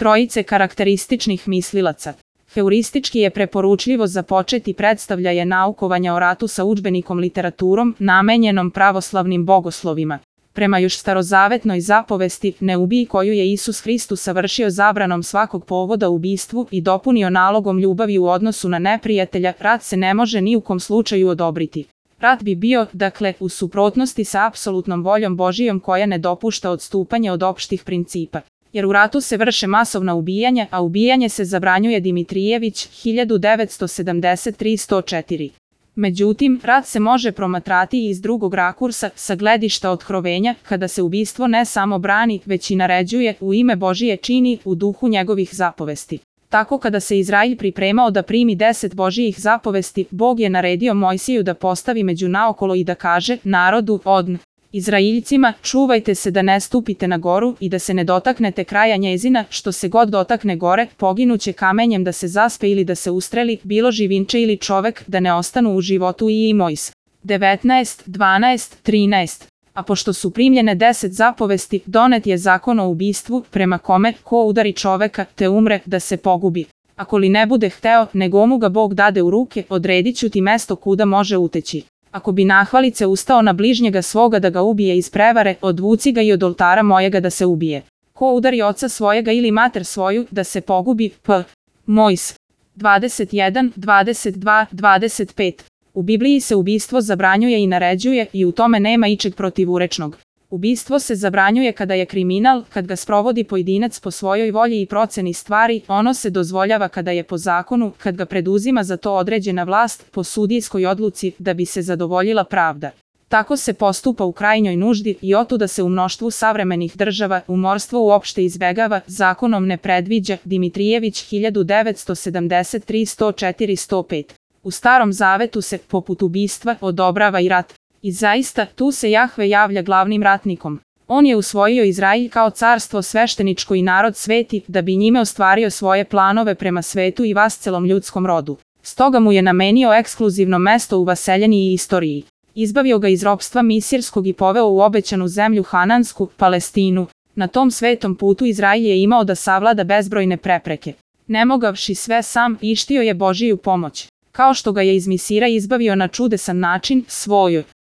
trojice karakterističnih mislilaca. Heuristički je preporučljivo započeti predstavljaje naukovanja o ratu sa udžbenikom literaturom namenjenom pravoslavnim bogoslovima. Prema još starozavetnoj zapovesti, ne ubij, koju je Isus Hristos savršio zabranom svakog povoda ubistvu i dopunio nalogom ljubavi u odnosu na neprijatelja, rat se ne može ni u kom slučaju odobriti. Rat bi bio, dakle, u suprotnosti sa apsolutnom voljom Božijom koja ne dopušta odstupanje od opštih principa. Jer u ratu se vrše masovna ubijanja, a ubijanje se zabranjuje. Dimitrijević, 1973-104. Međutim, rat se može promatrati i iz drugog rakursa, sa gledišta otkrovenja, kada se ubistvo ne samo brani, već i naređuje, u ime Božije čini, u duhu njegovih zapovesti. Tako kada se Izrail pripremao da primi 10 Božijih zapovesti, Bog je naredio Mojsiju da postavi među naokolo i da kaže narodu, Izraeljcima, čuvajte se da ne stupite na goru i da se ne dotaknete kraja njezina, što se god dotakne gore, poginuće kamenjem, da se zaspe ili da se ustreli, bilo živinče ili čovek, da ne ostanu u životu. I Mojs. 19:12-13. A pošto su primljene 10 zapovesti, donet je zakon o ubistvu, prema kome, ko udari čoveka, te umre, da se pogubi. Ako li ne bude hteo, nego mu ga Bog dade u ruke, odredit ću ti mesto kuda može uteći. Ako bi nahvalice ustao na bližnjega svoga da ga ubije iz prevare, odvuci ga i od oltara mojega da se ubije. Ko udari oca svojega ili mater svoju, da se pogubi. Mojs. 21:22-25. U Bibliji se ubistvo zabranjuje i naređuje i u tome nema ičeg protivurečnog. Ubistvo se zabranjuje kada je kriminal, kad ga sprovodi pojedinac po svojoj volji i proceni stvari, ono se dozvoljava kada je po zakonu, kad ga preduzima za to određena vlast, po sudijskoj odluci, da bi se zadovoljila pravda. Tako se postupa u krajnjoj nuždi i otuda se u mnoštvu savremenih država umorstvo uopšte izbegava, zakonom ne predviđa. Dimitrijević, 1973-104-105. U Starom Zavetu se, poput ubistva, odobrava i rat. I zaista, tu se Jahve javlja glavnim ratnikom. On je usvojio Izrail kao carstvo svešteničko i narod sveti, da bi njime ostvario svoje planove prema svetu i vascelom ljudskom rodu. Stoga mu je namenio ekskluzivno mesto u vaseljeni i istoriji. Izbavio ga iz ropstva misirskog i poveo u obećanu zemlju Hanansku, Palestinu. Na tom svetom putu Izrail je imao da savlada bezbrojne prepreke. Ne mogavši sve sam, ištio je Božiju pomoć. Kao što ga je iz Misira izbavio na čudesan način, svojoj